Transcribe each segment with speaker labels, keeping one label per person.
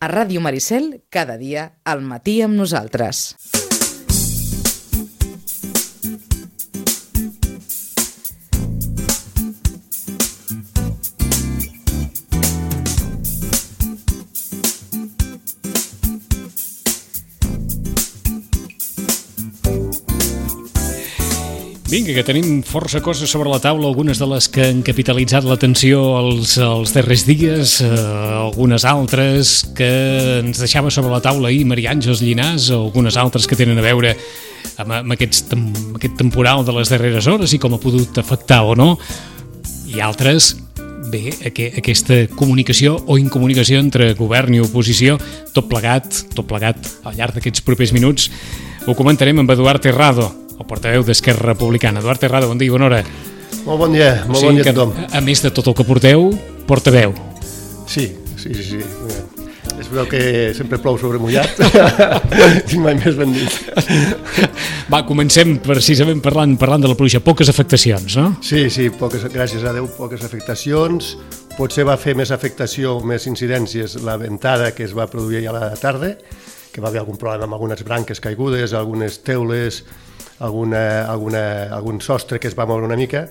Speaker 1: A Ràdio Maricel, cada dia, al matí amb nosaltres.
Speaker 2: Vinga, que tenim força coses sobre la taula, algunes de les que han capitalitzat l'atenció els darrers dies, algunes altres que ens deixava sobre la taula ahir Maria Àngels Llinàs, algunes altres que tenen a veure amb aquest temporal de les darreres hores i com ha pogut afectar o no, i altres, bé, aquesta comunicació o incomunicació entre govern i oposició, tot plegat al llarg d'aquests propers minuts. Ho comentarem amb Eduard Terrado, el portaveu d'Esquerra Republicana. Eduard Terrado, bon dia i bona hora.
Speaker 3: Molt bon dia a tothom.
Speaker 2: A més de tot el que porteu, portaveu.
Speaker 3: Sí. Es veu que sempre plou sobre mullat. I mai més ben dit.
Speaker 2: Va, comencem precisament parlant de la pluja. Poques afectacions, no?
Speaker 3: Sí, gràcies a Déu, poques afectacions. Potser va fer més afectació, més incidències la ventada que es va produir a la tarda, que va haver algun problema amb algunes branques caigudes, algunes teules, algun sostre que es va moure una mica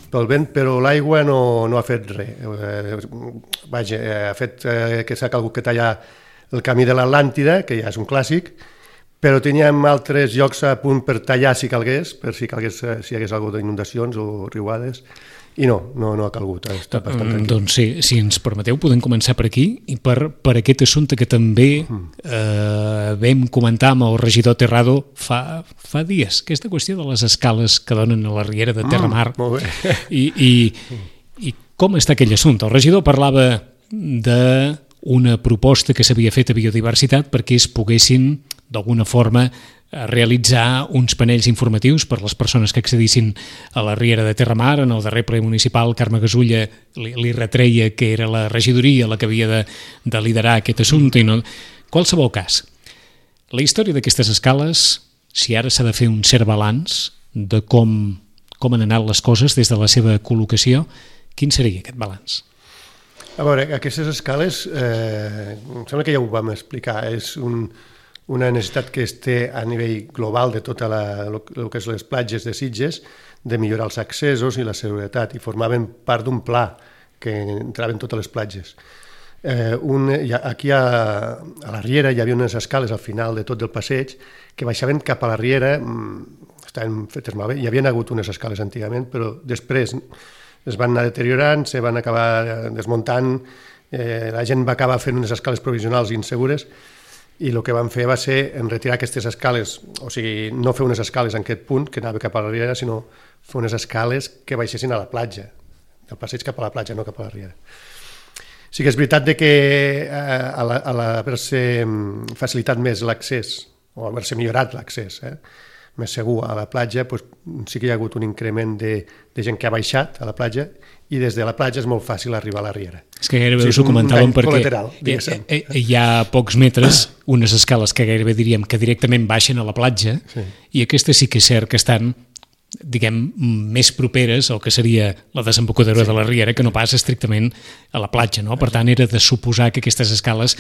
Speaker 3: pel vent, però l'aigua no ha fet res. Ha fet que s'ha calgut que tallar el camí de l'Atlàntida, que ja és un clàssic, però teníem altres llocs a punt per tallar si calgués, si hi hagués alguna d'inundacions o riuades, i no ha calgut. Està bastant tranquil.
Speaker 2: Doncs sí, si ens permeteu podem començar per aquí i per aquest assumpte que també vam comentar amb el regidor Terrado fa dies, aquesta qüestió de les escales que donen a la riera de Terramar.
Speaker 3: Molt bé.
Speaker 2: I com està aquell assumpte? El regidor parlava d'una proposta que s'havia fet a Biodiversitat perquè es poguessin d'alguna forma realitzar uns panells informatius per les persones que accedissin a la riera de Terramar. En el darrer ple municipal, Carme Gasulla li retreia que era la regidoria la que havia de liderar aquest assumpte. I no... Qualsevol cas, la història d'aquestes escales, si ara s'ha de fer un cert balanç de com han anat les coses des de la seva col·locació, quin seria aquest balanç?
Speaker 3: A veure, aquestes escales, em sembla que ja ho vam explicar, és una necessitat que es té a nivell global de tot el que és les platges de Sitges, de millorar els accessos i la seguretat, i formaven part d'un pla que entraven totes les platges. Aquí a la riera hi havia unes escales al final de tot el passeig que baixaven cap a la riera, estaven fetes malbé, hi havia hagut unes escales antigament, però després es van anar deteriorant, se van acabar desmuntant, la gent va acabar fent unes escales provisionals insegures, i el que van fer va ser retirar aquestes escales, o sigui, no fer unes escales en aquest punt que anava cap a la riera, sinó fer unes escales que baixessin a la platja, del passeig cap a la platja, no cap a la riera. Sí que és veritat que a l'haver-se facilitat més l'accés, o haver-se millorat l'accés, més segur a la platja, sí que hi ha hagut un increment de gent que ha baixat a la platja, i des de la platja és molt fàcil arribar a la riera.
Speaker 2: És que gairebé us ho comentàvem perquè hi ha pocs metres unes escales que gairebé diríem que directament baixen a la platja, i aquestes sí que és cert que estan, diguem, més properes al que seria la desembocadura de la riera que no pas estrictament a la platja, no? Per tant, era de suposar que aquestes escales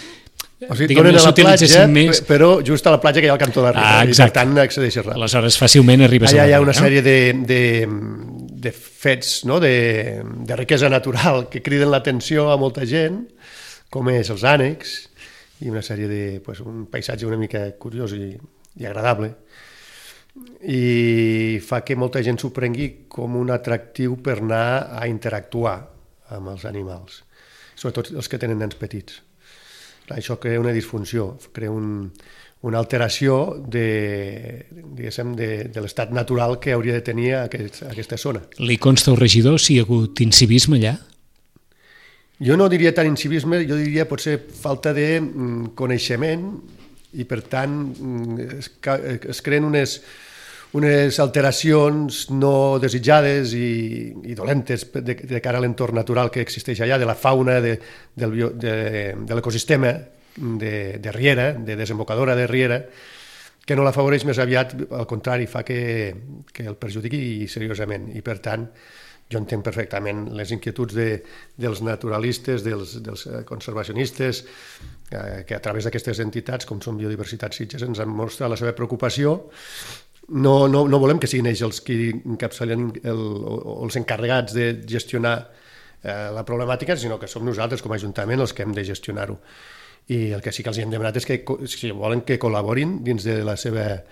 Speaker 3: donen a la platja, però just a la platja que hi ha al cantó de la riera, i per tant accedeixes ràpid.
Speaker 2: Aleshores fàcilment arribes a la riera.
Speaker 3: Allà hi ha una sèrie de fets, de riquesa natural que criden l'atenció a molta gent, com és els ànecs, i una sèrie un paisatge una mica curiós i agradable, i fa que molta gent s'ho prengui com un atractiu per anar a interactuar amb els animals, sobretot els que tenen nens petits. Això crea una disfunció, crea una alteració de l'estat natural que hauria de tenir aquesta zona.
Speaker 2: Li consta al regidor si hi ha hagut incivisme allà?
Speaker 3: Jo no diria tant incivisme, jo diria potser falta de coneixement, i per tant es creen unes alteracions no desitjades i dolentes de cara a l'entorn natural que existeix allà, de la fauna, de l'ecosistema de riera, de desembocadora de riera, que no l'afavoreix, més aviat al contrari, fa que el perjudiqui seriosament. I per tant, Jo entenc perfectament les inquietuds dels naturalistes, dels conservacionistes, que a través d'aquestes entitats, com són Biodiversitat Sitges, ens han mostrat la seva preocupació. No volem que siguin ells els que encapçalen o els encarregats de gestionar la problemàtica, sinó que som nosaltres com a Ajuntament els que hem de gestionar-ho. I el que sí que els hem demanat és que, si volen, que col·laborin dins de la seva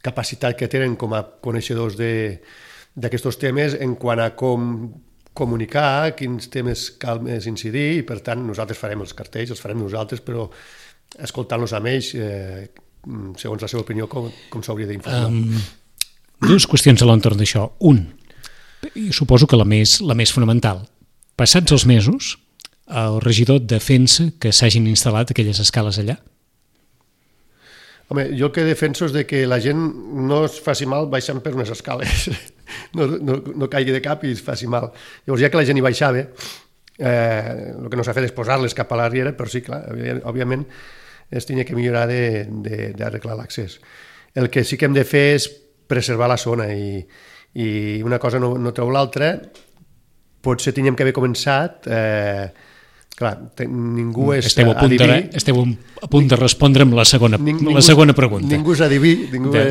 Speaker 3: capacitat que tenen com a coneixedors d'aquests temes en quant a com comunicar, quins temes cal més incidir, i per tant nosaltres farem els cartells, els farem nosaltres, però escoltant-los amb ells, segons la seva opinió, com s'hauria d'informar.
Speaker 2: Dues qüestions a l'entorn d'això. Un, i suposo que la més fonamental. Passats els mesos, el regidor defensa que s'hagin instal·lat aquelles escales allà?
Speaker 3: Home, jo el que defenso és que la gent no es faci mal baixant per unes escales, no caigui de cap i es faci mal. Llavors, ja que la gent hi baixava, el que no s'ha fet és posar-les cap a la riera, però sí, clar, òbviament es tenia que millorar d'arreglar l'accés. El que sí que hem de fer és preservar la zona i una cosa no treu l'altra. Potser teníem que haver començat... Clar, ningú és adiví.
Speaker 2: Esteu a punt de respondre amb la segona pregunta.
Speaker 3: Ningú és adiví.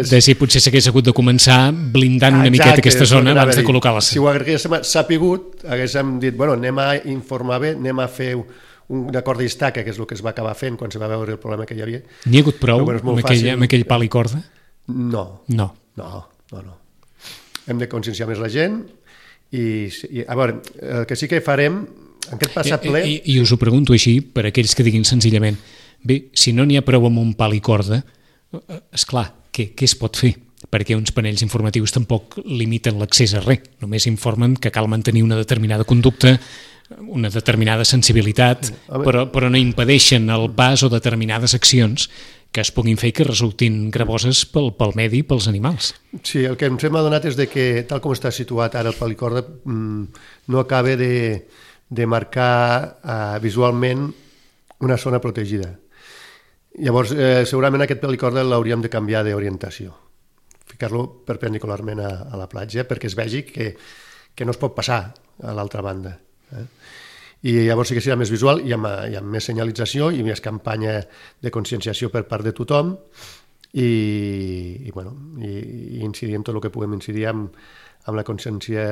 Speaker 2: De si potser s'hagués hagut de començar blindant una miqueta aquesta zona abans de col·locar-la.
Speaker 3: Si ho haguéssim sapigut, haguéssim dit, bueno, anem a informar bé, anem a fer un acord d'estaca, que és el que es va acabar fent quan se va veure el problema que hi havia.
Speaker 2: N'hi ha hagut prou amb aquell pal i corda?
Speaker 3: No. Hem de conscienciar més la gent i a veure, el que sí que farem en aquest passat ple...
Speaker 2: I us ho pregunto així, per aquells que diguin senzillament, bé, si no n'hi ha prou amb un pal i corda, esclar, què es pot fer? Perquè uns panells informatius tampoc limiten l'accés a res, només informen que cal mantenir una determinada conducta, una determinada sensibilitat, però no impedeixen el pas o determinades accions que es puguin fer que resultin gravoses pel medi i pels animals.
Speaker 3: Sí, el que ens hem adonat és que, tal com està situat ara el pal i corda, no acaba de marcar visualment una zona protegida. Llavors, segurament aquest pal i corda l'hauríem de canviar d'orientació, ficar-lo perpendicularment a la platja perquè es vegi que no es pot passar a l'altra banda. I llavors sí que serà més visual i amb més senyalització i més campanya de conscienciació per part de tothom i incidir en tot el que puguem incidir amb la consciència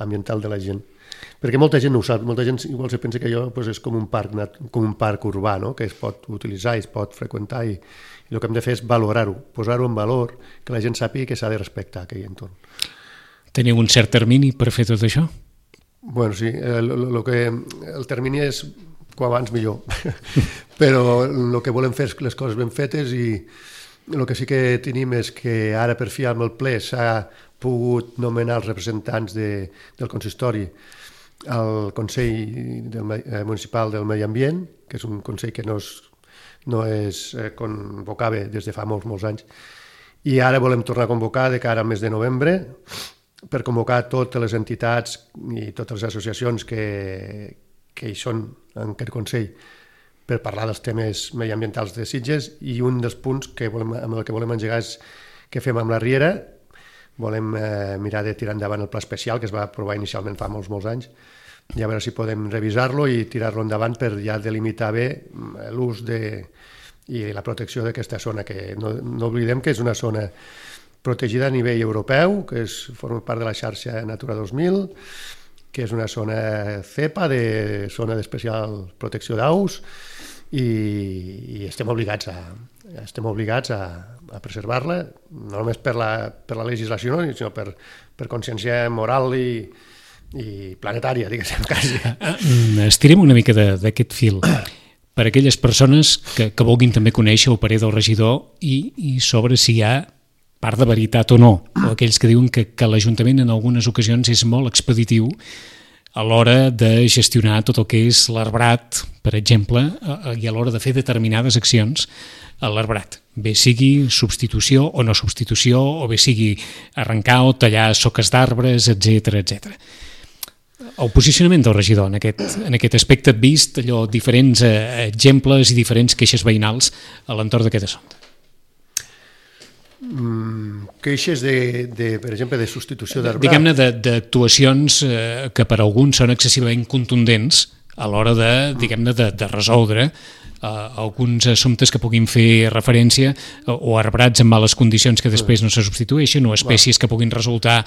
Speaker 3: ambiental de la gent. Perquè molta gent no ho sap, molta gent igual se pensa que allò és com un parc urbà, no? Que es pot utilitzar i es pot freqüentar i el que hem de fer és valorar-ho, posar-ho en valor, que la gent sàpiga que s'ha de respectar aquell entorn.
Speaker 2: Teniu un cert termini per fer tot això?
Speaker 3: Bueno, sí, el termini és com abans millor, però el que volem fer és les coses ben fetes i el que sí que tenim és que ara per fi amb el ple s'ha pogut nomenar els representants del consistori al Consell Municipal del Medi Ambient, que és un consell que no es convocava des de fa molts anys, i ara volem tornar a convocar de cara al mes de novembre per convocar totes les entitats i totes les associacions que hi són en aquest Consell per parlar dels temes mediambientals de Sitges i un dels punts amb el que volem engegar és què fem amb la riera. Volem mirar de tirar endavant el pla especial que es va aprovar inicialment fa molts anys i a veure si podem revisar-lo i tirar-lo endavant per ja delimitar bé l'ús i la protecció d'aquesta zona, que no oblidem que és una zona protegida a nivell europeu, que forma part de la xarxa Natura 2000, que és una zona CEPA, zona d'especial protecció d'aus, i estem obligats a preservar-la, no només per la legislació, sinó per consciència moral i planetària, diguéssim, quasi.
Speaker 2: Estirem una mica d'aquest fil. Per aquelles persones que vulguin també conèixer o parer del regidor i sobre si hi ha part de veritat o no, o aquells que diuen que l'Ajuntament en algunes ocasions és molt expeditiu a l'hora de gestionar tot el que és l'arbrat, per exemple, i a l'hora de fer determinades accions a l'arbrat. Bé sigui substitució o no substitució, o bé sigui arrencar o tallar soques d'arbres, etc. El posicionament del regidor en aquest aspecte, vist allò diferents exemples i diferents queixes veïnals a l'entorn d'aquest assumpte.
Speaker 3: queixes per exemple, de substitució d'arbrat.
Speaker 2: Diguem-ne d'actuacions que per alguns són excessivament contundents a l'hora de resoldre alguns assumptes que puguin fer referència o arbrats en males condicions que després no se substitueixen o espècies que puguin resultar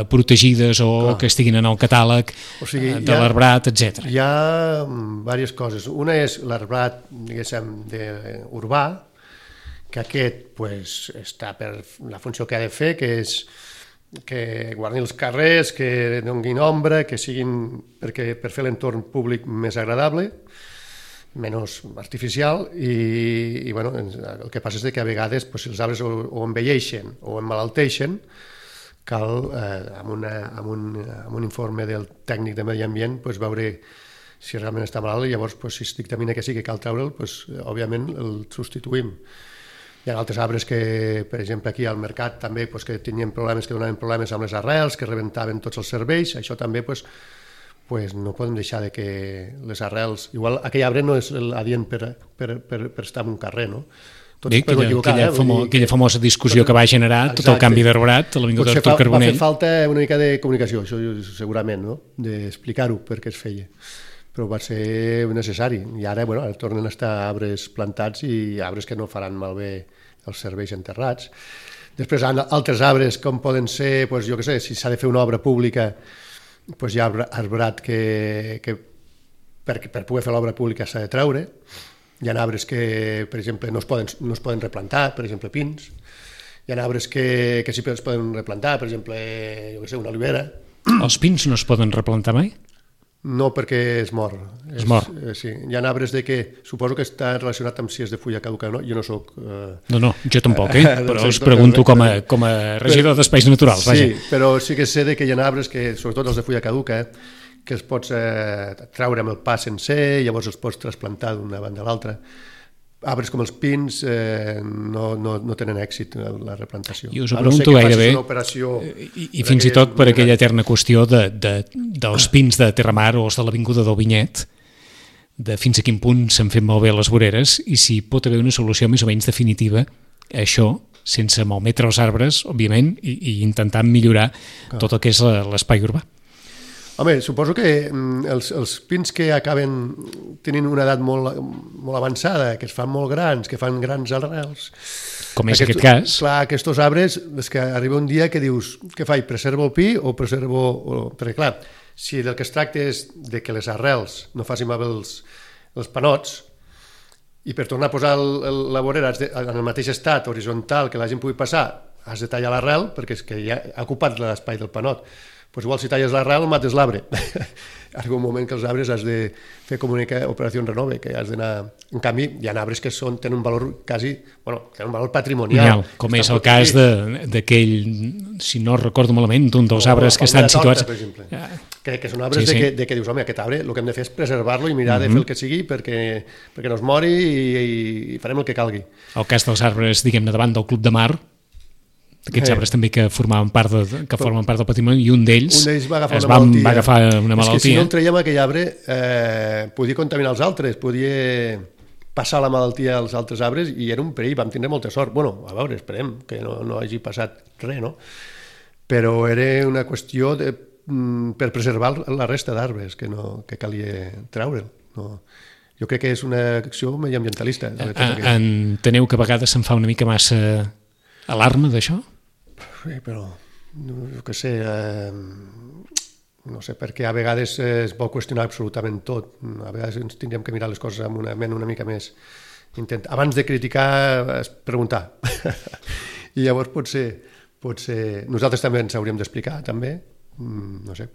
Speaker 2: protegides o que estiguin en el catàleg de l'arbrat, etc.
Speaker 3: Hi ha diverses coses. Una és l'arbrat, diguéssim, urbà, que aquest està per la funció que ha de fer, que és que guardi els carrers, que donin ombra, que siguin per fer l'entorn públic més agradable, menys artificial, i bueno, el que passa és que a vegades si els arbres o envelleixen o emmalalteixen, cal, amb un informe del tècnic de medi ambient, veure si realment està malalt, i llavors si es dictamina que sí que cal treure'l, òbviament el substituïm. Hi ha altres arbres que, per exemple, aquí al mercat també que tenien problemes, que donaven problemes amb les arrels, que rebentaven tots els serveis. Això també no podem deixar de que les arrels... Igual aquell arbre no és adient per estar en un carrer, no?
Speaker 2: Aquella famosa discussió que va generar tot el canvi d'arbrat a l'Avinguda d'Artur Carbonell.
Speaker 3: Va fer falta una mica de comunicació, això segurament, no? D'explicar-ho per què es feia. Però va ser necessari. I ara tornen a estar arbres plantats i arbres que no faran malbé els serveis enterrats. Després hi ha altres arbres com poden ser, jo què sé, si s'ha de fer una obra pública, hi ha arbrat que per poder fer l'obra pública s'ha de treure. Hi ha arbres que, per exemple, no es poden replantar, per exemple, pins. Hi ha arbres que sí que es poden replantar, per exemple, jo què sé, una olivera.
Speaker 2: Els pins no es poden replantar mai?
Speaker 3: No, perquè es mor.
Speaker 2: Es mor.
Speaker 3: Sí. Hi ha arbres que suposo que està relacionat amb si és de fulla caduca o no. Jo no soc...
Speaker 2: No, jo tampoc, però us pregunto com a regidor d'espais naturals.
Speaker 3: Sí, però sí que sé que hi ha arbres que, sobretot els de fulla caduca, que els pots treure amb el pa sencer, llavors els pots trasplantar d'una banda a l'altra. Arbres com els pins no tenen èxit en la replantació.
Speaker 2: I us ho pregunto gairebé, i fins i tot per aquella eterna qüestió dels pins de Terramar o els de l'Avinguda del Vinyet, de fins a quin punt s'han fet malbé les voreres i si pot haver una solució més o menys definitiva a això, sense malmetre els arbres, òbviament, i intentant millorar tot el que és l'espai urbà.
Speaker 3: Home, suposo que els pins que acaben tenint una edat molt avançada, que es fan molt grans, que fan grans arrels...
Speaker 2: Com és aquest cas?
Speaker 3: Clar, aquests arbres, és que arriba un dia que dius, què faig, preservo el pi o preservo... Perquè clar, si del que es tracta és de que les arrels no facin malbé els panots, i per tornar a posar la vorera en el mateix estat horitzontal que la gent pugui passar, has de tallar l'arrel, perquè és que ja ha ocupat l'espai del panot. Igual si talles l'arrel mates l'arbre. Arriba un moment que els arbres has de fer com una operació en renove, que has d'anar... En canvi, hi ha arbres que tenen un valor quasi... tenen un valor patrimonial.
Speaker 2: Com és el cas d'aquell, si no recordo malament, d'un dels arbres que estan situats...
Speaker 3: Per exemple, que són arbres de que dius, home, aquest arbre el que hem de fer és preservar-lo i mirar de fer el que sigui perquè no es mori i farem el que calgui.
Speaker 2: El cas dels arbres, diguem-ne, davant del Club de Mar, aquests arbres també que formen part del patrimoni, i un d'ells
Speaker 3: va agafar una malaltia. És que si no el traiem aquell arbre podia contaminar els altres, podia passar la malaltia als altres arbres i era un perill, vam tindre molta sort. A veure, esperem que no hagi passat res, no? Però era una qüestió per preservar la resta d'arbres que calia treure'l. Jo crec que és una acció mediambientalista.
Speaker 2: Enteneu que a vegades se'n fa una mica massa alarma d'això?
Speaker 3: Sí, però jo què sé, no sé, perquè a vegades es vol qüestionar absolutament tot. A vegades ens tindríem que mirar les coses amb una ment una mica més... Abans de criticar, preguntar. I llavors potser nosaltres també ens hauríem d'explicar, també. No sé,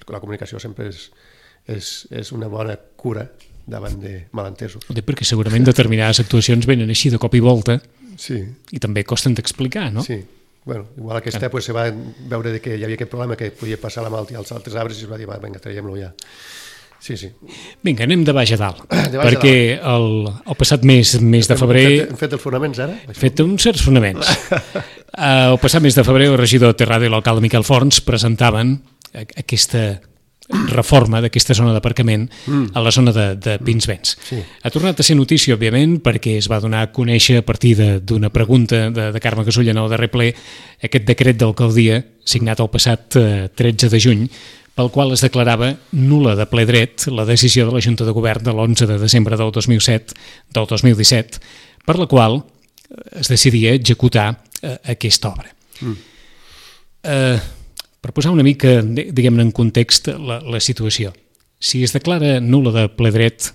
Speaker 3: la comunicació sempre és una bona cura davant de malentesos.
Speaker 2: Perquè segurament determinades actuacions venen així de cop i volta.
Speaker 3: Sí.
Speaker 2: I també costen d'explicar, no?
Speaker 3: Sí. Igual aquesta se va veure que hi havia aquest problema que podia passar la malaltia als altres arbres i es va dir, vinga, traiem-lo ja. Sí.
Speaker 2: Vinga, anem de baix a dalt. Perquè el passat mes de febrer...
Speaker 3: Hem fet els fonaments, ara?
Speaker 2: Hem fet uns certs fonaments. El passat mes de febrer el regidor de Terrada i l'alcalde Miquel Forns presentaven aquesta reforma d'aquesta zona d'aparcament a la zona de Pinsbens.
Speaker 3: Sí.
Speaker 2: Ha tornat a ser notícia, òbviament, perquè es va donar a conèixer a partir d'una pregunta de Carme Casulla en el darrer ple aquest decret d'alcaldia signat el passat 13 de juny pel qual es declarava nul·la de ple dret la decisió de la Junta de Govern de l'11 de desembre del 2017, per la qual es decidia executar aquesta obra. Per posar una mica, diguem-ne, en context la situació. Si es declara nul·la de ple dret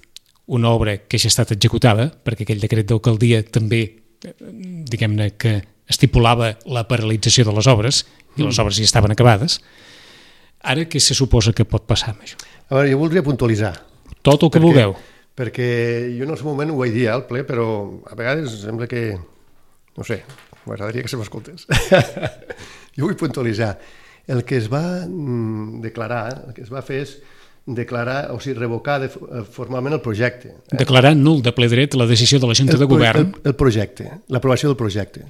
Speaker 2: una obra que ja ha estat executada, perquè aquell decret d'alcaldia també, diguem-ne, que estipulava la paralització de les obres, i les obres ja estaven acabades, ara què se suposa que pot passar amb això?
Speaker 3: A veure, jo voldria puntualitzar.
Speaker 2: Tot el que vulgueu.
Speaker 3: Perquè jo en el seu moment ho vaig dir al ple, però a vegades sembla que, no sé, m'agradaria que se m'escoltés. Jo vull puntualitzar. El que es va declarar, el que es va fer és declarar, o sigui, revocar formalment el projecte.
Speaker 2: Declarar nul de ple dret la decisió de la Junta de Govern.
Speaker 3: El projecte, l'aprovació del projecte.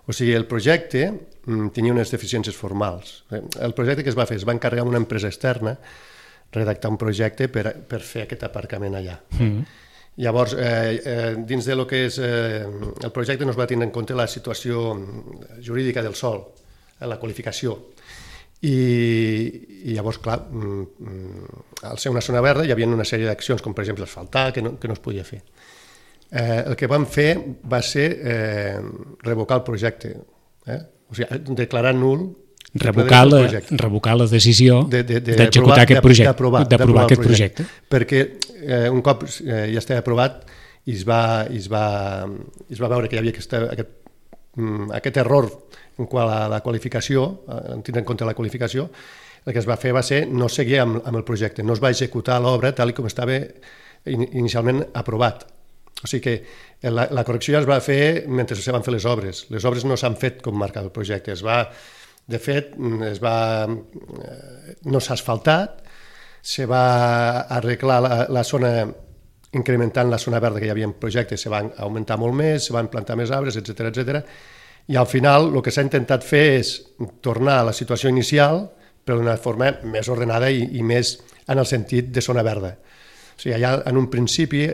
Speaker 3: O sigui, el projecte tenia unes deficiències formals. El projecte que es va fer, es va encarregar a una empresa externa redactar un projecte per fer aquest aparcament allà. Llavors, dins de lo que és el projecte no es va tenir en compte la situació jurídica del sòl, la qualificació. I llavors, clar, al ser una zona verda hi havia una sèrie d'accions, com per exemple asfaltar, que no es podia fer. El que vam fer va ser revocar el projecte, o sigui, declarar nul
Speaker 2: revocar la decisió d'executar aquest projecte, d'aprovar aquest projecte.
Speaker 3: Perquè un cop ja estava aprovat i es va veure que hi havia aquest error en quant a la qualificació, en tenir en compte la qualificació, el que es va fer va ser no seguir amb el projecte, no es va executar l'obra tal com estava inicialment aprovat. O sigui que la correcció ja es va fer mentre se van fer les obres. Les obres no s'han fet com marcava el projecte. De fet, no s'ha asfaltat, se va arreglar la zona, incrementant la zona verda que hi havia en projecte, se va augmentar molt més, se van plantar més arbres, etc. I al final el que s'ha intentat fer és tornar a la situació inicial però d'una forma més ordenada i més en el sentit de zona verda. O sigui, allà en un principi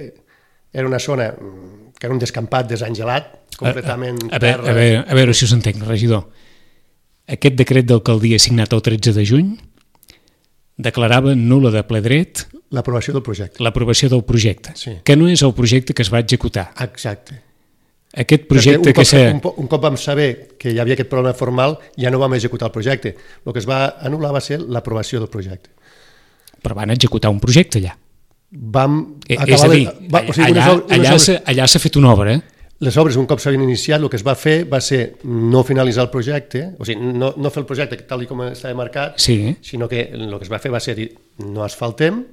Speaker 3: era una zona que era un descampat desangelat, completament terra.
Speaker 2: A veure si us entenc, regidor. Aquest decret d'alcaldia signat el 13 de juny declarava nul·la de ple dret
Speaker 3: l'aprovació del projecte.
Speaker 2: L'aprovació del projecte,
Speaker 3: sí.
Speaker 2: Que no és el projecte que es va executar.
Speaker 3: Exacte.
Speaker 2: Aquest projecte
Speaker 3: un cop vam saber que hi havia aquest problema formal, ja no vam executar el projecte. El que es va anul·lar va ser l'aprovació del projecte.
Speaker 2: Però van executar un projecte allà.
Speaker 3: És a dir,
Speaker 2: allà s'ha fet una obra.
Speaker 3: Les obres, un cop s'havien iniciat, el que es va fer va ser no finalitzar el projecte, o sigui, no fer el projecte tal com estava marcat,
Speaker 2: sí.
Speaker 3: Sinó que el que es va fer va ser dir no asfaltem,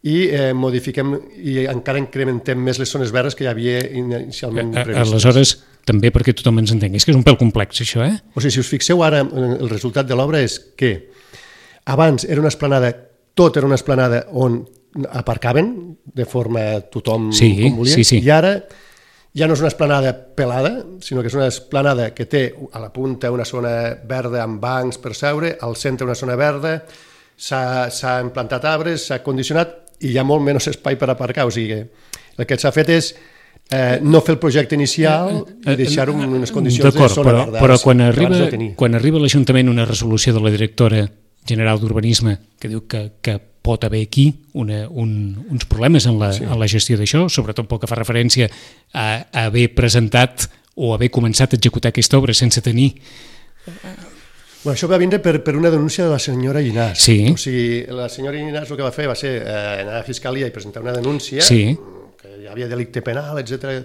Speaker 3: i modifiquem i encara incrementem més les zones verdes que hi havia inicialment previstes.
Speaker 2: Aleshores, també perquè tothom ens entengui, és que és un pèl complex això,
Speaker 3: O sigui, si us fixeu ara, el resultat de l'obra és que abans era una esplanada, tot era una esplanada on aparcaven de forma tothom com volia, i ara ja no és una esplanada pelada, sinó que és una esplanada que té a la punta una zona verda amb bancs per seure, al centre una zona verda, s'ha implantat arbres, s'ha condicionat i hi ha molt menys espai per aparcar. O sigui, el que s'ha fet és no fer el projecte inicial i deixar-ho en unes condicions de zona verda.
Speaker 2: Però quan arriba a l'Ajuntament una resolució de la directora general d'Urbanisme que diu que pot haver aquí uns problemes en la gestió d'això, sobretot pel que fa referència a haver presentat o haver començat a executar aquesta obra sense tenir...
Speaker 3: Això va vindre per una denúncia de la senyora Llinàs.
Speaker 2: Sí.
Speaker 3: O sigui, la senyora Llinàs el que va fer va ser anar a la Fiscalia i presentar una denúncia que hi havia delicte penal, etc.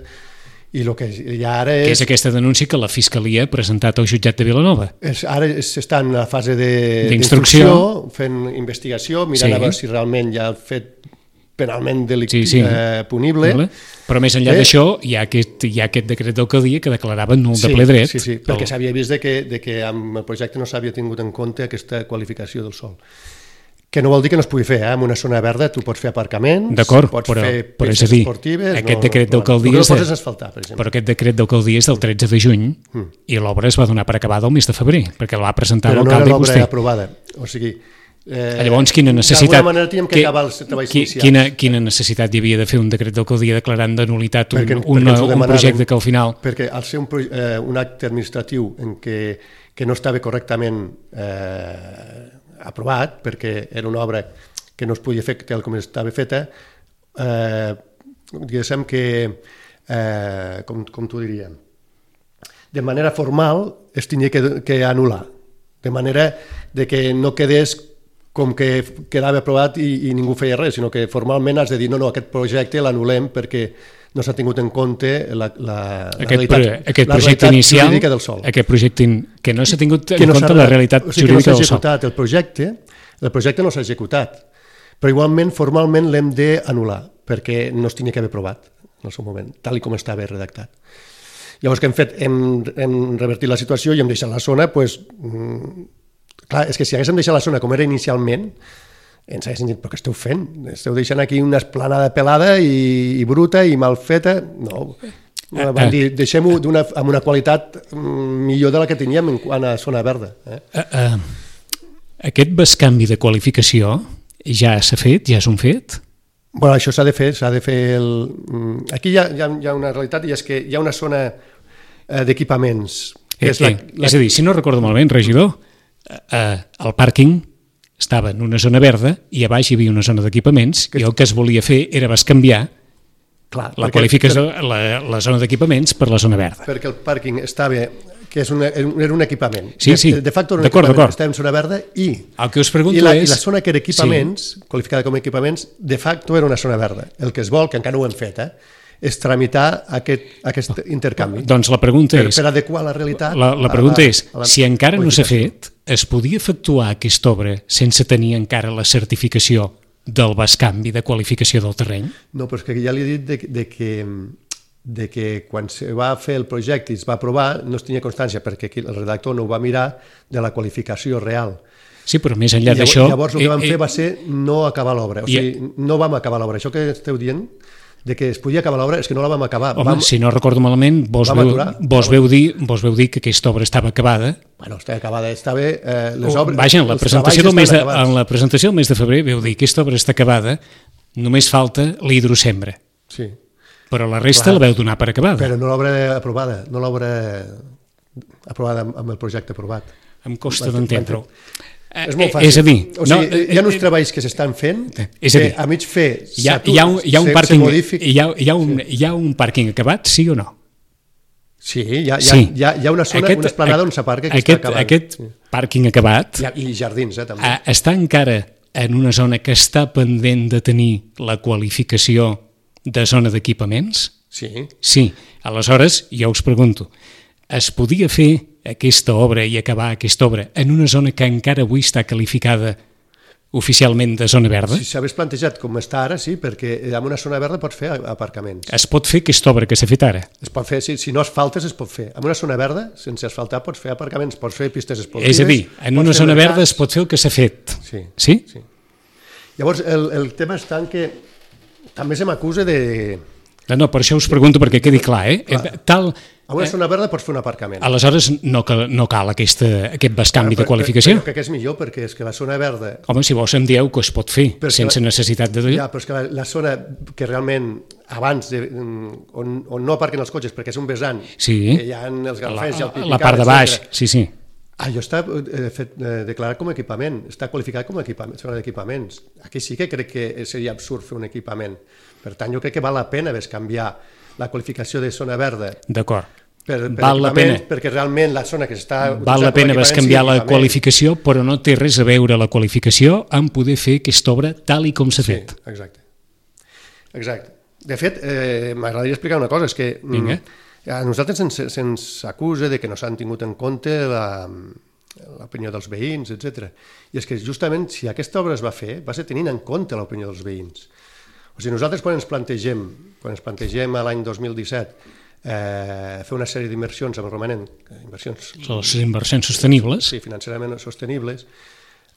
Speaker 3: I el que ja ara és...
Speaker 2: Que és aquesta denúncia que la Fiscalia ha presentat al jutjat de Vilanova.
Speaker 3: Ara s'està en la fase d'instrucció, fent investigació, mirant a veure si realment hi ha fet penalment punible.
Speaker 2: Però més enllà d'això hi ha aquest decret d'alcaldia que declarava nul de ple dret.
Speaker 3: Sí, perquè s'havia vist que amb el projecte no s'havia tingut en compte aquesta qualificació del sòl. Que no vol dir que no es pugui fer, en una zona verda tu pots fer aparcaments, pots fer pistes esportives...
Speaker 2: Aquest decret d'alcaldia
Speaker 3: però
Speaker 2: aquest decret d'alcaldia és del 13 de juny i l'obra es va donar per acabada el mes de febrer, perquè la va presentar l'alcalde i vostè.
Speaker 3: Però no era l'obra aprovada, o sigui...
Speaker 2: Llavors, quina necessitat...
Speaker 3: D'alguna manera teníem que acabar els treballs inicials.
Speaker 2: Quina necessitat hi havia de fer un decret d'alcaldia declarant de nulitat un
Speaker 3: demanaven,
Speaker 2: projecte que al final...
Speaker 3: Perquè al ser un acte administratiu en que no estava correctament aprovat, perquè era una obra que no es podia fer tal com estava feta, diguéssim que, com t'ho diria, de manera formal es tenia que anul·lar, de manera de que no quedés com que quedava aprovat i ningú feia res, sinó que formalment has de dir no, aquest projecte l'anul·lem perquè no s'ha tingut en compte la realitat jurídica del sòl.
Speaker 2: Aquest projecte que no s'ha tingut en compte la realitat jurídica del sòl.
Speaker 3: El projecte no s'ha executat, però igualment formalment l'hem d'anul·lar perquè no es tenia que haver aprovat en el seu moment, tal com estava redactat. Llavors, què hem fet? Hem revertit la situació i hem deixat la zona, doncs, clar, és que si haguéssim deixat la zona com era inicialment, ens haguessin dit, però què esteu fent? Esteu deixant aquí una esplanada pelada i bruta i mal feta? No, van dir, deixem-ho amb una qualitat millor de la que teníem en quant a zona verda.
Speaker 2: Aquest bescanvi de qualificació ja s'ha fet, ja és un fet?
Speaker 3: Bueno, això s'ha de fer. Aquí hi ha una realitat i és que hi ha una zona d'equipaments.
Speaker 2: És a dir, si no recordo malament, regidor, el pàrquing estava en una zona verda i a baix hi havia una zona d'equipaments i el que es volia fer era bescanviar la zona d'equipaments per la zona verda.
Speaker 3: Perquè el pàrquing estava, que era un equipament.
Speaker 2: Sí.
Speaker 3: De facto era un equipament, estava en zona verda i la zona que era equipaments, qualificada com a equipaments, de facto era una zona verda. El que es vol, que encara no ho hem fet, és tramitar aquest intercanvi.
Speaker 2: Doncs la pregunta és...
Speaker 3: Per adequar la realitat...
Speaker 2: La pregunta és, si encara no s'ha fet, es podia efectuar aquesta obra sense tenir encara la certificació del bescanvi de qualificació del terreny?
Speaker 3: No, però és que ja li he dit de que quan se va fer el projecte i es va aprovar no es tenia constància perquè el redactor no ho va mirar de la qualificació real.
Speaker 2: Sí, però més enllà d'això...
Speaker 3: Llavors el que vam fer va ser no acabar l'obra, o sigui, no vam acabar l'obra. Això que esteu dient de que es podia acabar l'obra és que no la vam acabar.
Speaker 2: Home, si no recordo malament, vos veu dir que aquesta obra estava acabada.
Speaker 3: Bueno, estava acabada, estava...
Speaker 2: Vaja, en la presentació del mes de febrer veu dir que aquesta obra està acabada, només falta la hidrosembra.
Speaker 3: Sí.
Speaker 2: Però la resta la veu donar per acabada.
Speaker 3: Però no l'obra aprovada, no l'obra aprovada amb el projecte aprovat.
Speaker 2: Em costa d'entendre-ho.
Speaker 3: És molt fàcil.
Speaker 2: És a dir...
Speaker 3: hi ha uns treballs que s'estan fent que a mig fer
Speaker 2: hi ha un pàrquing acabat, sí o no?
Speaker 3: Sí, hi ha una zona, una esplanada on s'aparca que està acabant.
Speaker 2: Aquest pàrquing acabat...
Speaker 3: I jardins, també.
Speaker 2: Està encara en una zona que està pendent de tenir la qualificació de zona d'equipaments?
Speaker 3: Sí.
Speaker 2: Sí. Aleshores, jo us pregunto, es podia fer aquesta obra i acabar aquesta obra en una zona que encara avui està qualificada oficialment de zona verda?
Speaker 3: Si s'hagués plantejat com està ara, sí, perquè en una zona verda pots fer aparcaments.
Speaker 2: Es pot fer aquesta obra que s'ha fet ara?
Speaker 3: Es pot fer, si no asfaltes es pot fer. En una zona verda, sense asfaltar, pots fer aparcaments, pots fer pistes esportives...
Speaker 2: És a dir, en una zona verda es pot fer el que s'ha fet.
Speaker 3: Sí.
Speaker 2: Sí?
Speaker 3: Llavors, el tema està en que també se m'acusa de...
Speaker 2: No, per això us pregunto perquè quedi clar,
Speaker 3: A una zona verda pots fer un aparcament.
Speaker 2: Aleshores no cal aquest bescanvi de qualificació?
Speaker 3: Però crec que és millor, perquè és que la zona verda...
Speaker 2: Home, si vos em dieu que es pot fer sense necessitat de...
Speaker 3: Ja, però és que la zona que realment abans, on no aparquen els cotxes, perquè és un vessant, que hi ha els galfers i el Pipicat...
Speaker 2: La part de baix, sí.
Speaker 3: Allò està declarat com a equipament, està qualificat com a zona d'equipaments. Aquí sí que crec que seria absurd fer un equipament. Per tant, jo crec que val la pena canviar la qualificació de zona verda.
Speaker 2: D'acord.
Speaker 3: Val la pena. Perquè realment la zona que s'està...
Speaker 2: Val la pena canviar la qualificació, però no té res a veure la qualificació amb poder fer aquesta obra tal i com s'ha fet.
Speaker 3: Sí, exacte. De fet, m'agradaria explicar una cosa, és que a nosaltres se'ns acusa de que no s'han tingut en compte l'opinió dels veïns, etc. I és que justament si aquesta obra es va fer, va ser tenint en compte l'opinió dels veïns. O sigui, nosaltres quan ens plantegem a l'any 2017 fer una sèrie d'inversions amb el romanent,
Speaker 2: les inversions sostenibles,
Speaker 3: sí, financerament sostenibles,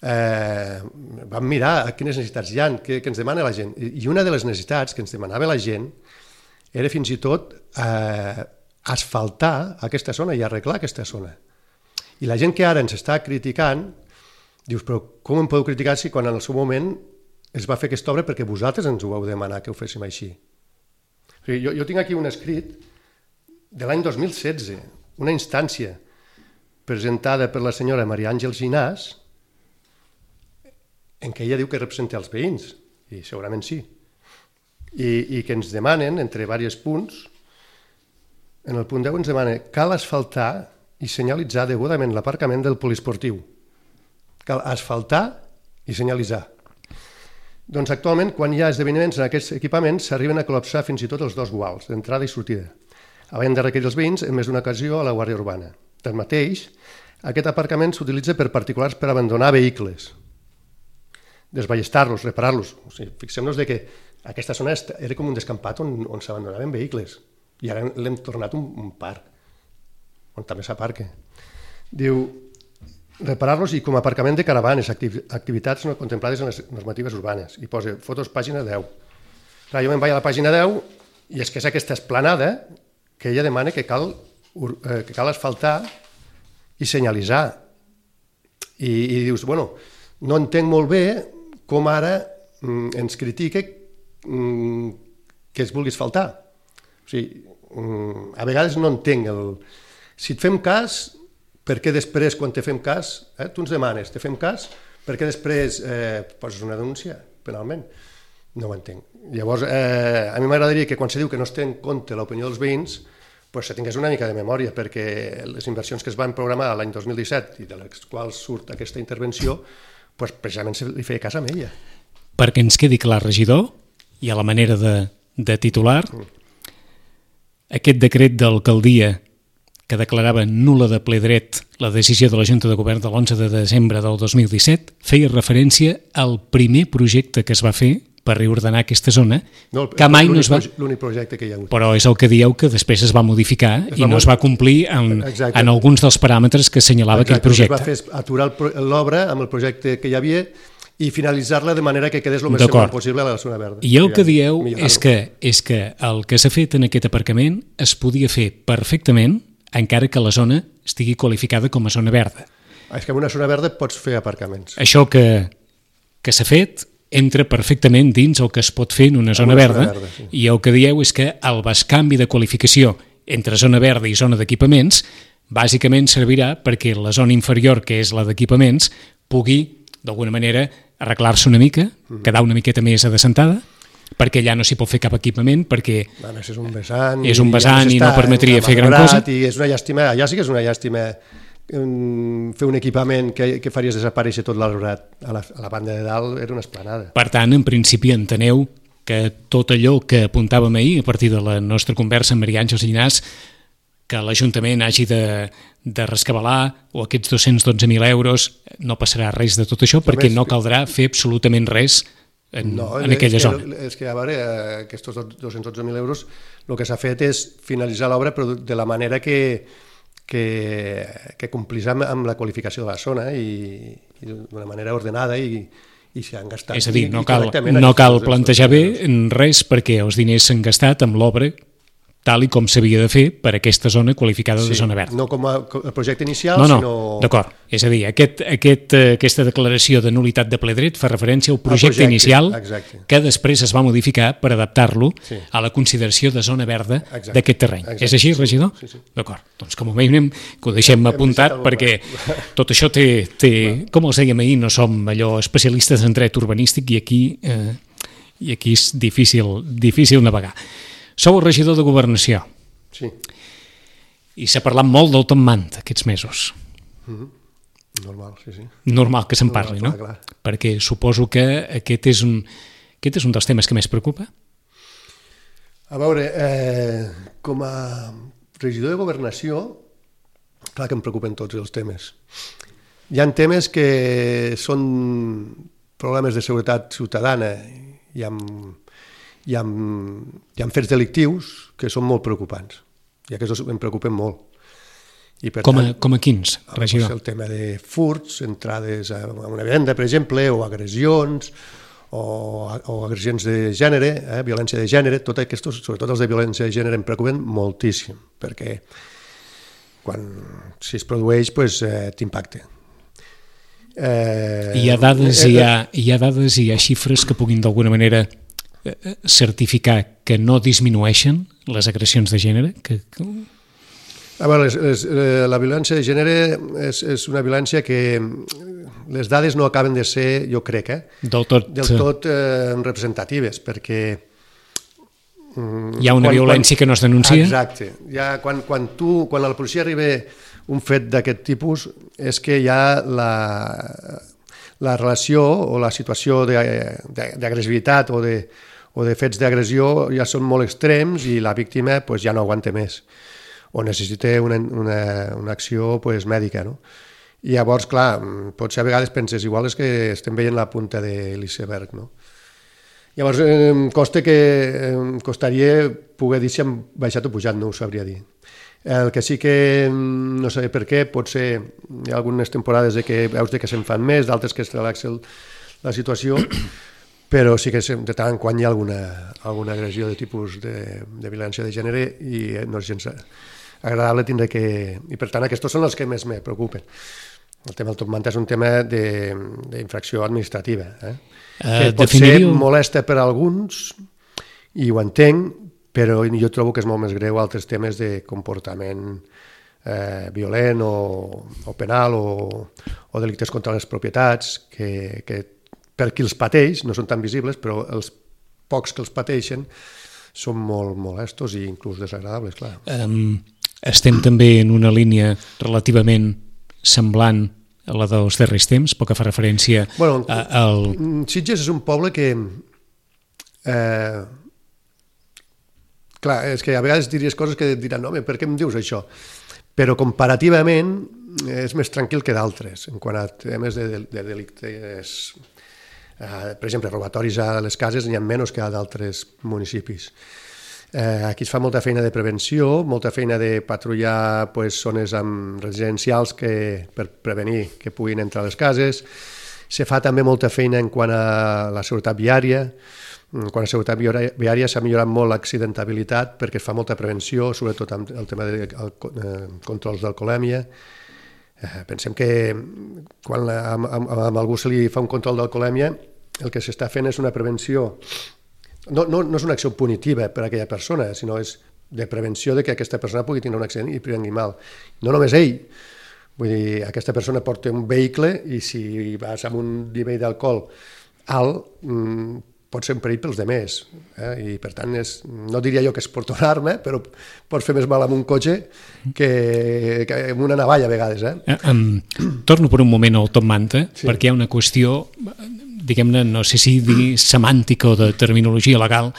Speaker 3: vam mirar quines necessitats hi ha, què ens demana la gent, i una de les necessitats que ens demanava la gent era fins i tot asfaltar aquesta zona i arreglar aquesta zona. I la gent que ara ens està criticant Dius, però com em podeu criticar si quan en el seu moment es va fer aquesta obra perquè vosaltres ens ho vau demanar que ho féssim així? O sigui, jo tinc aquí un escrit de l'any 2016, una instància presentada per la senyora Maria Àngels Ginàs, en què ella diu que representa els veïns, i segurament sí, i que ens demanen, entre diversos punts, en el punt 10 ens demana cal asfaltar i senyalitzar degudament l'aparcament del poliesportiu. Cal asfaltar i senyalitzar. Doncs actualment, quan hi ha esdeveniments en aquests equipaments, s'arriben a col·lapsar fins i tot els 2 guals, d'entrada i sortida, havent de requerir els veïns en més d'una ocasió a la Guàrdia Urbana. Tanmateix, aquest aparcament s'utilitza per particulars per abandonar vehicles, desballestar-los, reparar-los. O sigui, fixem-nos que aquesta zona era com un descampat on s'abandonaven vehicles i ara l'hem tornat un parc, on també s'aparca. Diu, reparar-los i com a aparcament de caravanes, activitats no contemplades en les normatives urbanes. I posa fotos pàgina 10. Clar, jo me'n vaig a la pàgina 10 i és que és aquesta esplanada que ella demana que cal asfaltar i senyalitzar. I dius, bueno, no entenc molt bé com ara ens critica que es vulgui asfaltar. O sigui, a vegades no entenc si et fem cas, per què després, quan te fem cas, tu ens demanes, te fem cas, per què després poses una denúncia penalment? No ho entenc. Llavors, a mi m'agradaria que quan se diu que no es té en compte l'opinió dels veïns, pues se tingués una mica de memòria, perquè les inversions que es van programar l'any 2017 i de les quals surt aquesta intervenció, pues precisament se li feia cas a ella.
Speaker 2: Perquè ens quedi clar, regidor, i a la manera de titular, aquest decret d'alcaldia que declarava nul·la de ple dret la decisió de la Junta de Govern de l'11 de desembre del 2017, feia referència al primer projecte que es va fer per reordenar aquesta zona, que mai no es va...
Speaker 3: L'únic projecte que hi ha hagut.
Speaker 2: Però és el que dieu que després es va modificar i no es va complir en alguns dels paràmetres que assenyalava aquell projecte.
Speaker 3: Es va fer aturar l'obra amb el projecte que hi havia i finalitzar-la de manera que quedés el més semblant possible a la zona verda.
Speaker 2: I el que dieu és que el que s'ha fet en aquest aparcament es podia fer perfectament encara que la zona estigui qualificada com a zona verda.
Speaker 3: És que en una zona verda pots fer aparcaments.
Speaker 2: Això que s'ha fet entra perfectament dins el que es pot fer en una zona verda,
Speaker 3: sí.
Speaker 2: I el que dieu és que el bescanvi de qualificació entre zona verda i zona d'equipaments bàsicament servirà perquè la zona inferior, que és la d'equipaments, pugui, d'alguna manera, arreglar-se una mica, quedar una miqueta més adescentada, perquè allà no s'hi pot fer cap equipament, perquè
Speaker 3: és un vessant
Speaker 2: i no permetria fer gran cosa.
Speaker 3: I és una llàstima, allà sí que és una llàstima fer un equipament que faries desaparèixer tot l'arbrat. A la banda de dalt era una esplanada.
Speaker 2: Per tant, en principi enteneu que tot allò que apuntàvem ahir a partir de la nostra conversa amb Maria Àngels Llinàs, que l'Ajuntament hagi de rescabalar o aquests 212.000 euros, no passarà res de tot això perquè no caldrà fer absolutament res en aquella zona.
Speaker 3: És que, a veure, aquests 212.000 euros, el que s'ha fet és finalitzar l'obra però de la manera que complís amb la qualificació de la zona i d'una manera ordenada i s'han gastat.
Speaker 2: És a dir, no cal plantejar bé res perquè els diners s'han gastat amb l'obra tal i com s'havia de fer per aquesta zona qualificada de zona verda.
Speaker 3: No com el projecte inicial,
Speaker 2: sinó... D'acord. És a dir, aquesta declaració de nul·litat de ple dret fa referència al projecte inicial que després es va modificar per adaptar-lo a la consideració de zona verda d'aquest terreny. És així, regidor?
Speaker 3: Sí.
Speaker 2: D'acord. Doncs com a mínim que ho deixem apuntat perquè tot això té... Com els dèiem ahir, no som allò especialistes en dret urbanístic i aquí és difícil navegar. Sou el regidor de Governació.
Speaker 3: Sí.
Speaker 2: I s'ha parlat molt del Top Manta aquests mesos.
Speaker 3: Normal, sí.
Speaker 2: Normal que se'n parli, no?
Speaker 3: Clar.
Speaker 2: Perquè suposo que aquest és un dels temes que més preocupa.
Speaker 3: A veure, com a regidor de Governació, clar que em preocupen tots els temes. Hi ha temes que són problemes de seguretat ciutadana i hi ha fets delictius que són molt preocupants i aquests em preocupen molt. I per
Speaker 2: com a quins, regidor?
Speaker 3: El tema de furts, entrades a una vivenda, per exemple, o agressions o agressions de gènere, violència de gènere, tot aquests, sobretot els de violència de gènere, em preocupen moltíssim perquè si es produeix t'impacta.
Speaker 2: Hi ha dades i hi ha xifres que puguin d'alguna manera certificar que no disminueixen les agressions de gènere?
Speaker 3: A veure, la violència de gènere és una violència que les dades no acaben de ser, jo crec,
Speaker 2: del tot
Speaker 3: representatives, perquè
Speaker 2: hi ha una violència que no es denuncia?
Speaker 3: Exacte. Quan a la policia arriba un fet d'aquest tipus és que ja la relació o la situació d'agressivitat o de fets d'agressió ja són molt extrems i la víctima ja no aguanta més o necessita una acció mèdica, no? I llavors, clar, potser a vegades penses, igual és que estem veient la punta de l'iceberg, no? Llavors, em costaria poder dir si hem baixat o pujat, no ho sabria dir. El que sí que no sé per què, potser hi ha algunes temporades que veus que se'n fan més, d'altres que es relaxa la situació, però sí que de tant en quant hi ha alguna agressió de tipus de violència de gènere i no és gens agradable tindre que... I per tant, aquests són els que més me preocupen. El tema del top manta és un tema d'infracció administrativa, que pot ser molesta per a alguns, i ho entenc, però jo trobo que és molt més greu altres temes de comportament violent o penal o delictes contra les propietats, que per qui els pateix no són tan visibles, però els pocs que els pateixen són molt molestos i inclús desagradables, clar.
Speaker 2: Estem també en una línia relativament semblant a la dels darrers temps, pel que fa referència al...
Speaker 3: Sitges és un poble que... Clar, és que a vegades diries coses que diran, home, per què em dius això? Però comparativament és més tranquil que d'altres, en quant a temes de delictes. Per exemple, robatoris a les cases n'hi ha menys que a d'altres municipis. Aquí es fa molta feina de prevenció, molta feina de patrullar zones residencials per prevenir que puguin entrar a les cases. Se fa també molta feina en quant a la seguretat viària. Quan a la seguretat viària s'ha millorat molt l'accidentabilitat perquè es fa molta prevenció, sobretot amb el tema de controls d'alcoholèmia. Pensem que quan a algú se li fa un control d'alcoholèmia, el que s'està fent és una prevenció. No és una acció punitiva per a aquella persona, sinó és de prevenció de que aquesta persona pugui tenir un accident i prengui mal. No només ell, vull dir, aquesta persona porta un vehicle i si vas amb un nivell d'alcohol alt, pot ser un perill pels demés. I per tant, no diria jo que es porta una arma, però pots fer més mal amb un cotxe que amb una navalla a vegades.
Speaker 2: Torno per un moment al top manta, perquè hi ha una qüestió, diguem-ne, no sé si dir semàntica o de terminologia legal,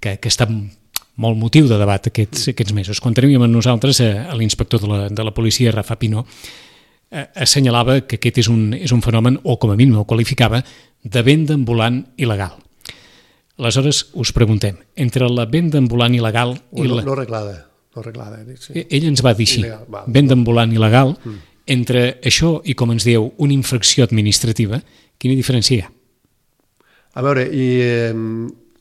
Speaker 2: que està molt motiu de debat aquests mesos. Quan teníem amb nosaltres l'inspector de la policia, Rafa Pinó, assenyalava que aquest és un fenomen, o com a mínim ho qualificava, de venda ambulant il·legal. Aleshores, us preguntem, entre la venda ambulant il·legal...
Speaker 3: No arreglada. Sí.
Speaker 2: Ell ens va dir així, venda ambulant il·legal, entre això i, com ens dieu, una infracció administrativa, quina diferència hi ha?
Speaker 3: A veure,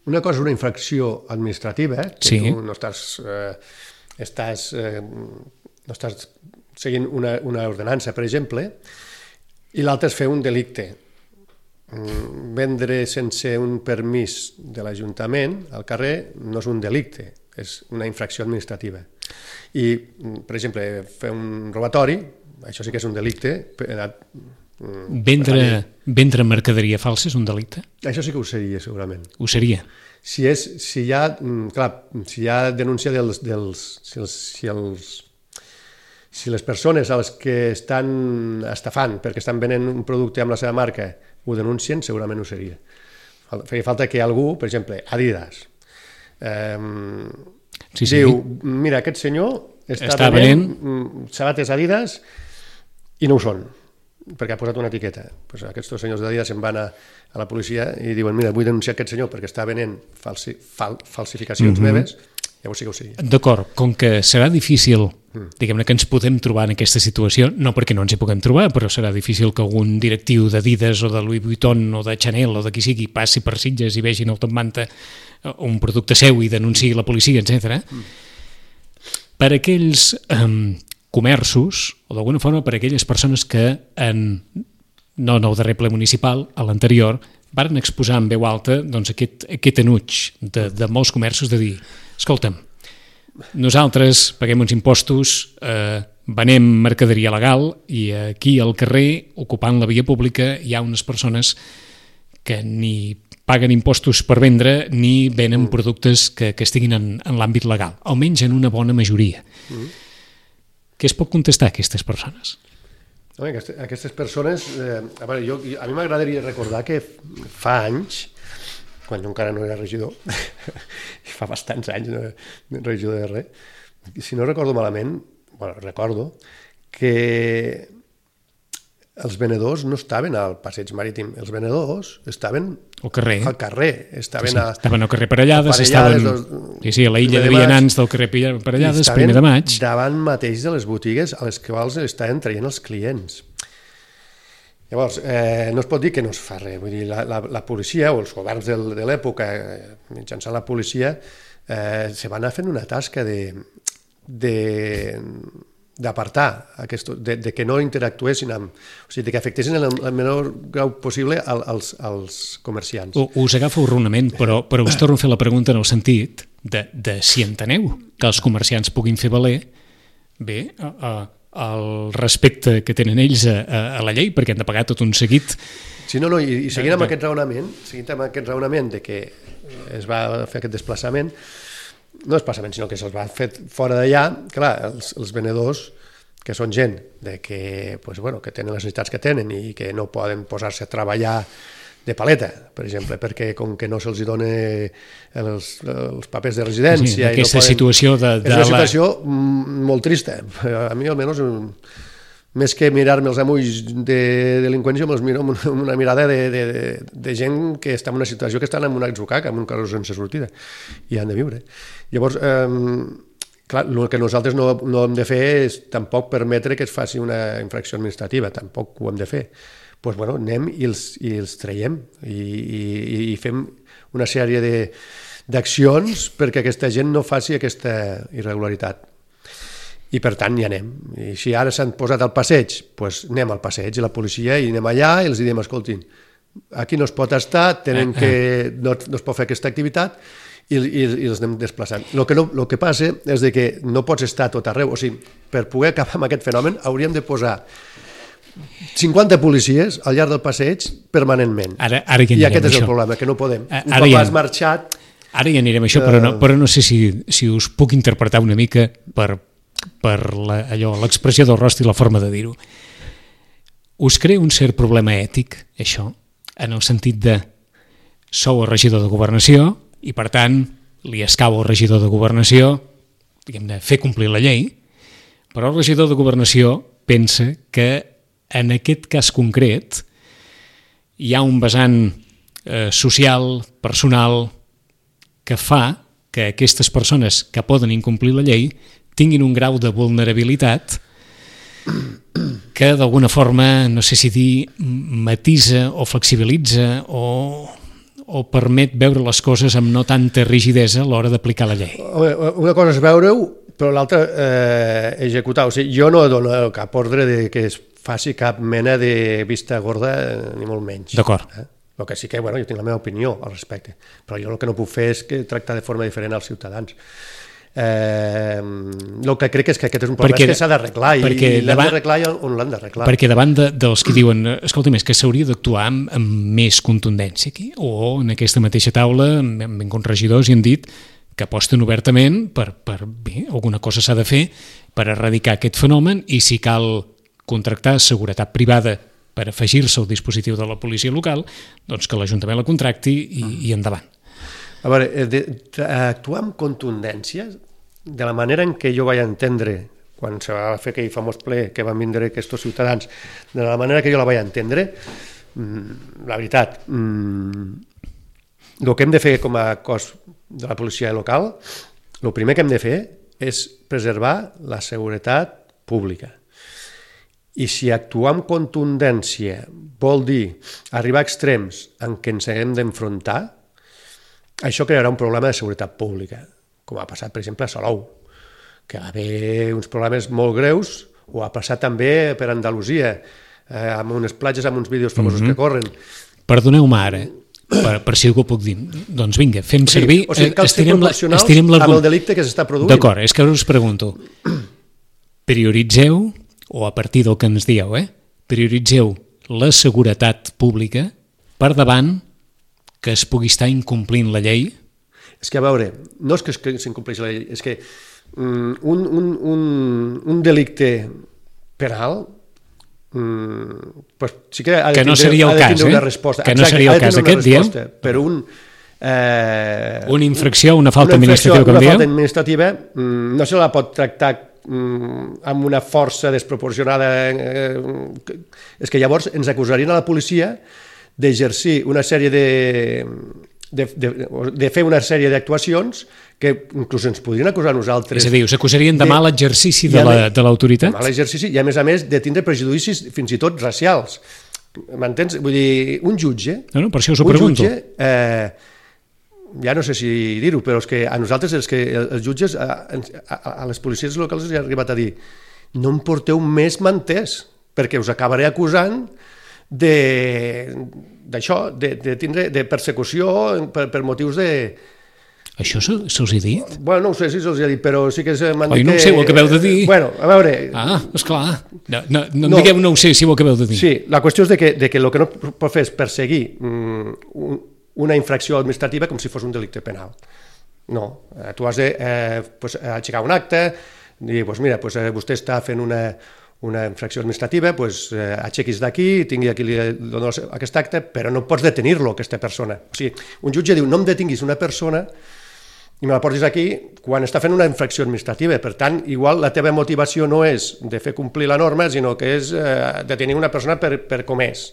Speaker 3: una cosa és una infracció administrativa, que tu no estàs seguint una ordenança, per exemple, i l'altra és fer un delicte. Vendre sense un permís de l'Ajuntament al carrer no és un delicte, és una infracció administrativa. I, per exemple, fer un robatori, això sí que és un delicte.
Speaker 2: Vendre mercaderia falsa és un delicte?
Speaker 3: Això sí que ho seria, segurament.
Speaker 2: Ho seria?
Speaker 3: Si hi ha denúncia si les persones a les que estan estafant perquè estan venent un producte amb la seva marca ho denuncien, segurament ho seria. Feia falta que algú, per exemple, Adidas, diu, mira, aquest senyor està venent sabates Adidas i no ho són, perquè ha posat una etiqueta. Aquests dos senyors d'Adidas se'n van a la policia i diuen, mira, vull denunciar aquest senyor perquè està venent falsificacions meves, llavors sí que ho seria.
Speaker 2: D'acord, com que serà difícil, diguem-ne, que ens podem trobar en aquesta situació, no perquè no ens hi puguem trobar, però serà difícil que algun directiu d'Adidas o de Louis Vuitton o de Chanel o de qui sigui passi per Sitges i vegin el top manta un producte seu i denunciï la policia, etc. Per aquells comerços, o d'alguna forma per aquelles persones que en no en el darrer ple municipal, a l'anterior, varen exposar en veu alta doncs, aquest enuig de molts comerços de dir, escolta'm, nosaltres paguem uns impostos, venem mercaderia legal i aquí al carrer, ocupant la via pública, hi ha unes persones que ni paguen impostos per vendre ni venen productes que estiguin en l'àmbit legal, almenys en una bona majoria. Què es pot contestar a aquestes persones?
Speaker 3: Aquestes persones, a mi m'agradaria recordar que fa anys, quan jo encara no era regidor, fa bastants anys no era regidor de res, si no recordo malament, recordo que els venedors no estaven al passeig marítim, els venedors estaven
Speaker 2: al carrer,
Speaker 3: estaven
Speaker 2: al carrer Parellades, estaven a la illa de Vianants del carrer Parellades, primer de maig.
Speaker 3: Davant mateix de les botigues a les quals estaven traient els clients. Llavors, no es pot dir que no es fa res, vull dir, la policia o els governs de l'època, mitjançant la policia, se van anar fent una tasca d'apartar, de que no interactuessin amb... O sigui, que afectessin en el menor grau possible als comerciants.
Speaker 2: Us agafo erronament, però us torno a fer la pregunta en el sentit de si enteneu que els comerciants puguin fer valer bé el respecte que tenen ells a la llei, perquè han de pagar tot un seguit.
Speaker 3: Sí, i seguint amb aquest raonament de que es va fer aquest desplaçament, no desplaçament, sinó que se'ls va fer fora d'allà, clar, els venedors, que són gent que tenen les necessitats que tenen i que no poden posar-se a treballar de paleta, per exemple, perquè com que no se'ls dona els papers de residència...
Speaker 2: Sí, aquesta situació
Speaker 3: és una situació molt trista. A mi, almenys, més que mirar-me els amulls de delinqüència, me'ls miro amb una mirada de gent que està en una situació que estan en un atzucac, en un carrer sense sortida, i han de viure. Llavors, clar, el que nosaltres no hem de fer és tampoc permetre que es faci una infracció administrativa, tampoc ho hem de fer. Doncs, anem i els traiem i fem una sèrie d'accions perquè aquesta gent no faci aquesta irregularitat. I per tant hi anem. I si ara s'han posat al passeig, doncs anem al passeig i la policia i anem allà i els diem, escoltin, aquí no es pot estar, no es pot fer aquesta activitat i els anem desplaçant. El que passa és que no pots estar a tot arreu. O sigui, per poder acabar amb aquest fenomen hauríem de posar 50 policies al llarg del passeig permanentment. I aquest és el problema, que no podem. Un cop has marxat...
Speaker 2: Ara hi anirem a això, però no sé si us puc interpretar una mica per l'expressió del rostre i la forma de dir-ho. Us crea un cert problema ètic, això, en el sentit de sou el regidor de Governació i, per tant, li escau al regidor de Governació, diguem-ne, fer complir la llei, però el regidor de Governació pensa que en aquest cas concret hi ha un vessant social, personal, que fa que aquestes persones que poden incomplir la llei tinguin un grau de vulnerabilitat que d'alguna forma, no sé si dir, matisa o flexibilitza o permet veure les coses amb no tanta rigidesa a l'hora d'aplicar la llei.
Speaker 3: Una cosa és veure-ho, però l'altra executar. O sigui, jo no dono cap ordre que es faci cap mena de vista gorda, ni molt menys.
Speaker 2: D'acord.
Speaker 3: El que sí que, jo tinc la meva opinió al respecte, però jo el que no puc fer és tractar de forma diferent als ciutadans. El que crec és que aquest és un problema que s'ha d'arreglar i l'hem d'arreglar on l'hem d'arreglar.
Speaker 2: Perquè davant dels que diuen escolta, és que s'hauria d'actuar amb més contundència aquí, o en aquesta mateixa taula han vingut regidors i han dit que aposten obertament per bé, alguna cosa s'ha de fer per erradicar aquest fenomen i si cal contractar seguretat privada per afegir-se al dispositiu de la policia local, doncs que l'Ajuntament la contracti i endavant.
Speaker 3: A veure, actuar amb contundència, de la manera en què jo vaig entendre, quan se va fer aquell famós ple que van vindre aquests ciutadans, de la manera que jo la vaig entendre, la veritat, el que hem de fer com a cos de la policia local, el primer que hem de fer és preservar la seguretat pública. I si actuar amb contundència vol dir arribar a extrems en què ens haguem d'enfrontar, això crearà un problema de seguretat pública, com ha passat, per exemple, a Salou, que va haver uns problemes molt greus, o ha passat també per Andalusia, amb unes platges, amb uns vídeos famosos que corren.
Speaker 2: Perdoneu-me ara, per si algú puc dir. Doncs vinga, fem servir...
Speaker 3: O sigui, cal ser proporcionals amb el delicte que s'està produint.
Speaker 2: D'acord, és que ara us pregunto. Prioritzeu, o a partir del que ens dieu, prioritzeu la seguretat pública per davant que es pugui estar incomplint la llei?
Speaker 3: És que, a veure, no és que s'incompleixi la llei, és que un delicte penal pues sí que ha de
Speaker 2: no seria el cas,
Speaker 3: una resposta.
Speaker 2: Que no seria el cas aquest, diem?
Speaker 3: Per una
Speaker 2: infracció, una falta administrativa, com dieu?
Speaker 3: Una falta administrativa no se la pot tractar amb una força desproporcionada. És que llavors ens acusarien a la policia d'exercir una sèrie de fer una sèrie d'actuacions que inclús ens podrien acusar a nosaltres.
Speaker 2: És a dir, us acusarien de mal exercici de l'autoritat?
Speaker 3: Mal exercici i, a més, de tindre prejudicis fins i tot racials. M'entens? Vull dir, un jutge...
Speaker 2: No, per això us ho pregunto.
Speaker 3: Un jutge, ja no sé si dir-ho, però és que a nosaltres els jutges, a les policies locals els ha arribat a dir no em porteu més manters, perquè us acabaré acusant d'això, de persecució per motius de...
Speaker 2: Això se'ls ha dit?
Speaker 3: Bueno, no ho sé si se'ls ha dit, però sí que m'han
Speaker 2: dit que... Oi, no ho sé, ho acabeu de dir.
Speaker 3: Bueno, a veure...
Speaker 2: Ah, esclar. No digueu no ho sé, si ho acabeu de dir.
Speaker 3: Sí, la qüestió és que el que no pot fer és perseguir una infracció administrativa com si fos un delicte penal. No, tu has d'aixecar un acte, dir, mira, vostè està fent una infracció administrativa, aixequis d'aquí, tingui aquí aquest acte, però no pots detenir-lo, aquesta persona. O sigui, un jutge diu, no em detinguis una persona i me la portis aquí quan està fent una infracció administrativa. Per tant, igual la teva motivació no és de fer complir la norma, sinó que és detenir una persona per com és.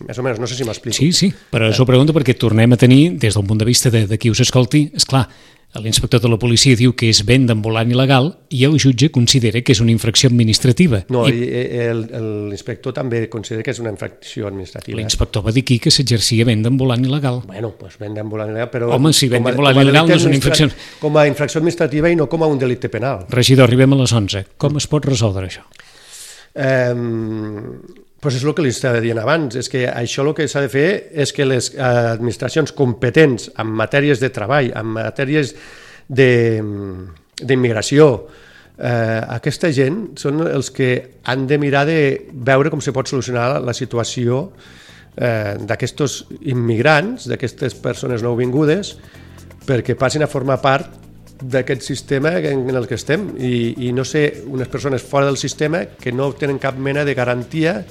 Speaker 3: Més o menys, no sé si m'explico.
Speaker 2: Sí, però us ho pregunto perquè tornem a tenir, des del punt de vista de qui us escolti, esclar, l'inspector de la policia diu que és venda ambulant il·legal i el jutge considera que és una infracció administrativa.
Speaker 3: No, l'inspector també considera que és una infracció administrativa.
Speaker 2: L'inspector va dir aquí que s'exercia venda ambulant il·legal.
Speaker 3: Bueno, venda ambulant il·legal, però...
Speaker 2: Home, si venda ambulant il·legal no és una infracció...
Speaker 3: Com a infracció administrativa i no com a un delicte penal.
Speaker 2: Regidor, arribem a les 11. Com es pot resoldre això?
Speaker 3: És el que li estava dient abans, és que això el que s'ha de fer és que les administracions competents en matèries de treball, en matèries d'immigració, aquesta gent són els que han de mirar de veure com se pot solucionar la situació d'aquests immigrants, d'aquestes persones nouvingudes, perquè passin a formar part d'aquest sistema en el que estem i no ser unes persones fora del sistema que no tenen cap mena de garantia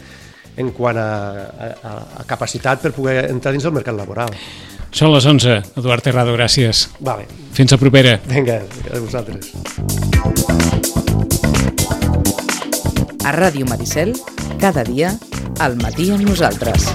Speaker 3: en quant a capacitat per poder entrar dins el mercat laboral.
Speaker 2: Són les 11. Eduard Terrado, gràcies.
Speaker 3: Vale.
Speaker 2: Fins la propera.
Speaker 3: Vinga, a vosaltres.
Speaker 1: A Ràdio Maricel, cada dia, al matí amb nosaltres.